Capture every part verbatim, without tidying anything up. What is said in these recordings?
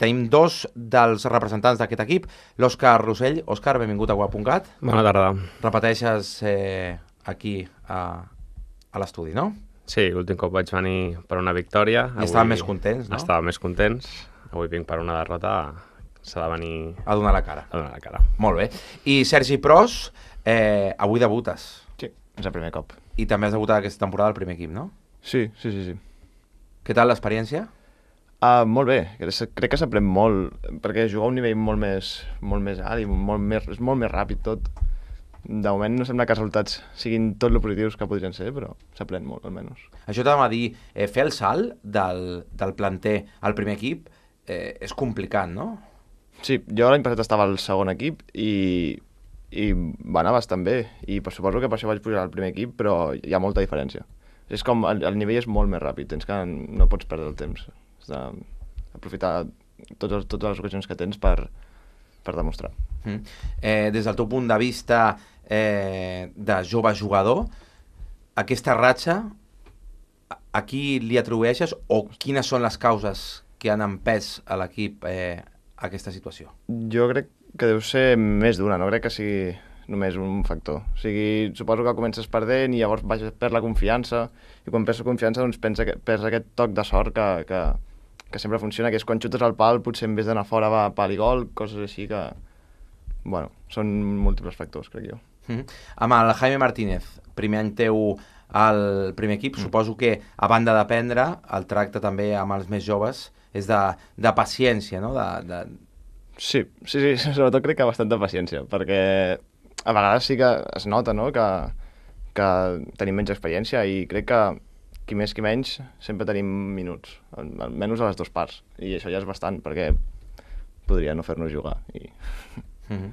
tenim dos dels representants d'aquest equip, l'Òscar Rossell. Òscar, benvingut a Guap punt cat. Bona tarda. Repeteixes eh, aquí a, a l'estudi, no? Sí, l'últim cop vaig venir per una victòria. I estàvem més contents, no? Estàvem més contents. Avui vinc per una derrota. S'ha de venir... A donar la cara. A donar la cara. Molt bé. I Sergi Pros, eh, avui debutes. Sí, és el primer cop. I també has debutat aquesta temporada al primer equip, no? Sí, sí, sí. sí. Què tal l'experiència? Uh, molt bé, crec que s'aprèn molt, perquè jugar a un nivell molt més, molt més alt i molt més, és molt més ràpid tot. De moment no sembla que els resultats siguin tot lo positius que podrien ser, però s'aprèn molt, almenys. Això t'anava a dir, eh, fer el salt del, del planter al primer equip eh, és complicat, no? Sí, jo l'any passat estava al segon equip i, i va anar bastant bé, i per suposo que per això vaig pujar al primer equip, però hi ha molta diferència. És com, el, el nivell és molt més ràpid, tens que no pots perdre el temps. Has d'aprofitar totes, totes les ocasions que tens per, per demostrar. Mm. Eh, des del teu punt de vista eh, de jove jugador, aquesta ratxa, a qui li atribueixes o quines són les causes que han empès a l'equip eh, aquesta situació? Jo crec que deu ser més d'una, no crec que sigui només un factor. O sigui, suposo que comences perdent i llavors vas per la confiança, i quan perds la confiança doncs pensa que perds aquest toc de sort que, que, que sempre funciona, que és quan xutes al pal potser en vez d'anar fora va a pal i gol, coses així que, bueno, són múltiples factors, crec jo. Mm-hmm. Amb el Jaime Martínez, primer any teu al primer equip, mm. suposo que a banda d'aprendre, el tracte també amb els més joves és de, de paciència, no? De, de... Sí, sí, sí, sobretot crec que bastanta paciència, perquè a vegades sí que es nota, no?, que, que tenim menys experiència i crec que qui més qui menys sempre tenim minuts, almenys a les dues parts, i això ja és bastant, perquè podria no fer-nos jugar. I... Mm-hmm.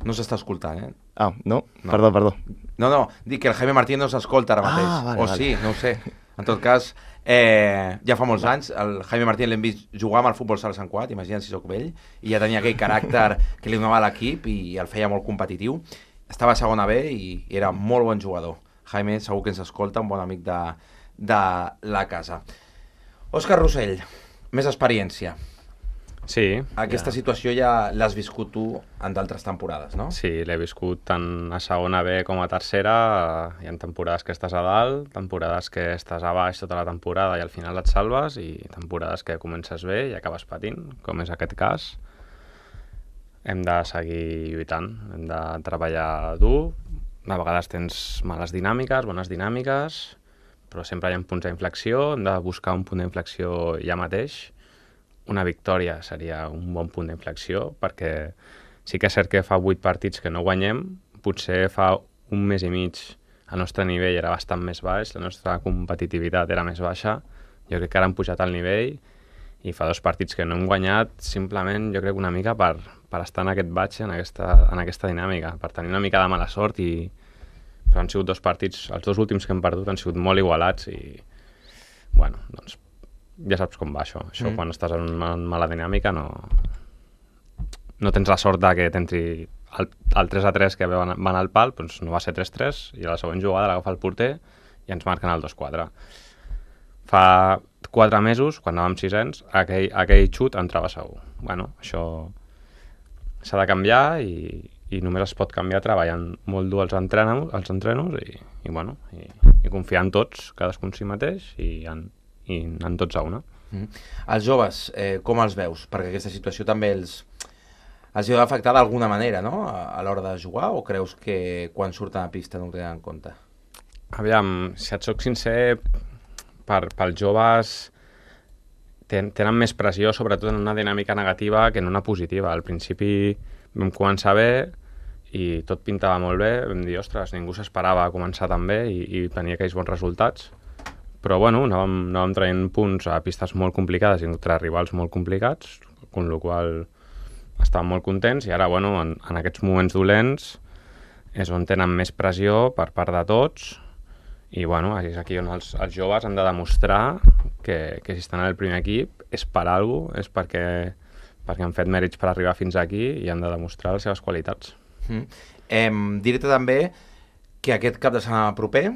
No s'està escoltant, eh? Ah, no? no? Perdó, perdó. No, no, dic que el Jaime Martínez no s'escolta ara mateix. Ah, vale, o vale. sí, no ho sé. En tot cas, eh, ja fa molts anys, el Jaime Martínez l'hem vist jugar amb el futbol sala Sant Cugat, imagina't si sóc vell, i ja tenia aquell caràcter que li donava a l'equip i el feia molt competitiu. Estava a segona B i era molt bon jugador. Jaime segur que ens escolta, un bon amic de, de la casa. Òscar Rossell, més experiència. Sí. Aquesta ja. situació ja l'has viscut tu en d'altres temporades, no? Sí, l'he viscut tant a segona B com a tercera. Hi ha temporades que estàs a dalt, temporades que estàs a baix tota la temporada i al final et salves, i temporades que comences bé i acabes patint, com és aquest cas. Hem de seguir lluitant, hem de treballar dur. A vegades tens males dinàmiques, bones dinàmiques, però sempre hi ha punts d'inflexió, hem de buscar un punt d'inflexió ja mateix. Una victòria seria un bon punt d'inflexió, perquè sí que és cert que fa vuit partits que no guanyem, potser fa un mes i mig el nostre nivell era bastant més baix, la nostra competitivitat era més baixa, jo crec que ara hem pujat al nivell, i fa dos partits que no hem guanyat simplement, jo crec, una mica per, per estar en aquest batxe, en aquesta, en aquesta dinàmica, per tenir una mica de mala sort, i però han sigut dos partits, els dos últims que hem perdut han sigut molt igualats i, bueno, doncs ja saps com va això. Això mm. quan estàs en una mala dinàmica no, no tens la sort de que t'entri el, el tres a tres que van, van al pal, doncs no va ser tres tres, i a la següent jugada l'agafa el porter i ens marquen el dos quatre. Fa quatre mesos, quan anàvem sisens, aquell, aquell xut entrava segur. Bueno, això s'ha de canviar i, i només es pot canviar treballant molt dur els entrenos, els entrenos i, i, bueno, i, i confiar en tots, cadascun si mateix, i en, i en tots a una. Mm. Els joves, eh, com els veus? Perquè aquesta situació també els, els ha afectat d'alguna manera, no?, a, a l'hora de jugar, o creus que quan surten a pista no ho tenen en compte? Aviam, si et soc sincer, per, pels joves ten, tenen més pressió, sobretot en una dinàmica negativa que en una positiva. Al principi vam començar bé i tot pintava molt bé, vam dir, ostres, ningú s'esperava començar tan bé i, i tenir aquells bons resultats. Però bueno, anàvem, anàvem traient punts a pistes molt complicades i contra rivals molt complicats, amb la qual estàvem molt contents, i ara, bueno, en, en aquests moments dolents és on tenen més pressió per part de tots, i bueno, és aquí on els, els joves han de demostrar que, que si estan al primer equip és per alguna cosa, és perquè, perquè han fet mèrits per arribar fins aquí i han de demostrar les seves qualitats. Mm. Eh, Diré-te també que aquest cap de setmana proper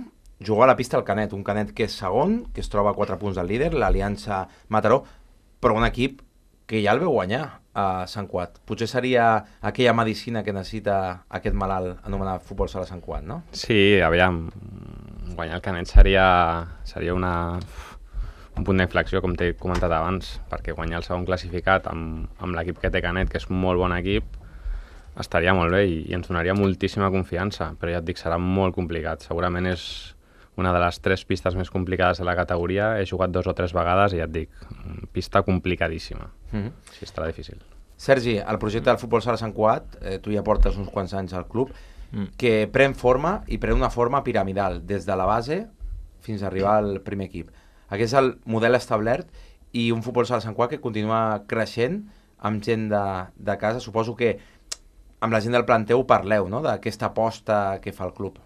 jugar a la pista al Canet, un Canet que és segon, que es troba a quatre punts del líder, l'Aliança Mataró, però un equip que ja el veu guanyar a Sant Cugat. Potser seria aquella medicina que necessita aquest malalt anomenat futbol sala Sant Cugat, no? Sí, aviam, guanyar el Canet seria, seria una, un punt d'inflexió, com t'he comentat abans, perquè guanyar el segon classificat amb, amb l'equip que té Canet, que és un molt bon equip, estaria molt bé i, i ens donaria moltíssima confiança, però ja et dic, serà molt complicat. Segurament és una de les tres pistes més complicades de la categoria. He jugat dos o tres vegades i ja et dic, pista complicadíssima. Mm-hmm. Sí, estarà difícil. Sergi, el projecte del futbol sala Sant Cugat, eh, tu ja portes uns quants anys al club, mm. que pren forma i pren una forma piramidal, des de la base fins a arribar al primer equip. Aquest és el model establert i un futbol sala Sant Cugat que continua creixent amb gent de, de casa. Suposo que amb la gent del planter ho parleu, no?, d'aquesta aposta que fa el club.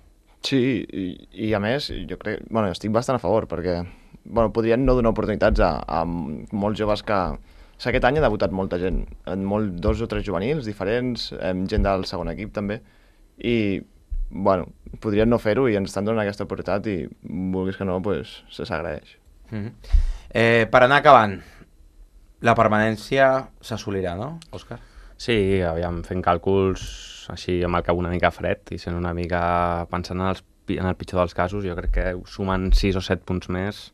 Sí, i, i a més, jo crec, bueno, estic bastant a favor, perquè bueno, podrien no donar oportunitats a, a molts joves que... O sigui, aquest any ha debutat molta gent, en molt, dos o tres juvenils diferents, amb gent del segon equip també, i bueno, podrien no fer-ho i ens estan donant aquesta oportunitat i vulguis que no, pues, se s'agraeix. Mm-hmm. eh, per anar acabant, la permanència s'assolirà, no, Òscar? Sí, aviam, fent càlculs així amb el cap una mica fred i sent una mica pensant en, els, en el pitjor dels casos, jo crec que sumant sis o set punts més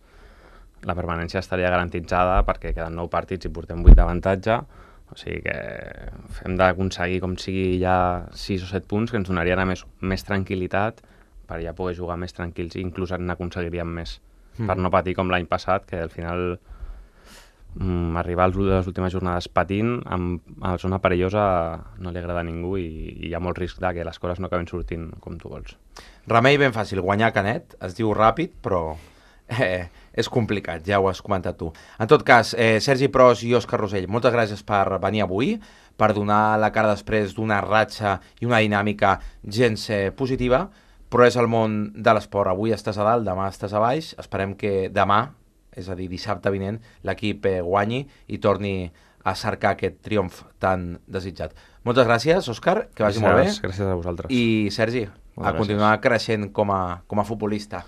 la permanència estaria garantitzada perquè queden nou partits i portem vuit d'avantatge, o sigui que hem d'aconseguir com sigui ja sis o set punts que ens donarien a més, més tranquil·litat per ja poder jugar més tranquils i inclús n'aconseguiríem més, mm. per no patir com l'any passat, que al final mm, arribar a les últimes jornades patint amb, a la zona perillosa no li agrada a ningú i, i hi ha molt risc de que les coses no acaben sortint com tu vols. Remei ben fàcil, guanyar Canet, es diu ràpid, però eh, és complicat, ja ho has comentat tu. En tot cas, eh, Sergi Pros i Òscar Rosell, moltes gràcies per venir avui, per donar la cara després d'una ratxa i una dinàmica gens eh, positiva, però és el món de l'esport. Avui estàs a dalt, demà estàs a baix, esperem que demà, és a dir, dissabte vinent, l'equip eh, guanyi i torni a cercar aquest triomf tan desitjat. Moltes gràcies, Òscar, que vagi gràcies, molt bé. Gràcies a vosaltres. I, Sergi, Moltes a continuar gràcies. creixent com a, com a futbolista.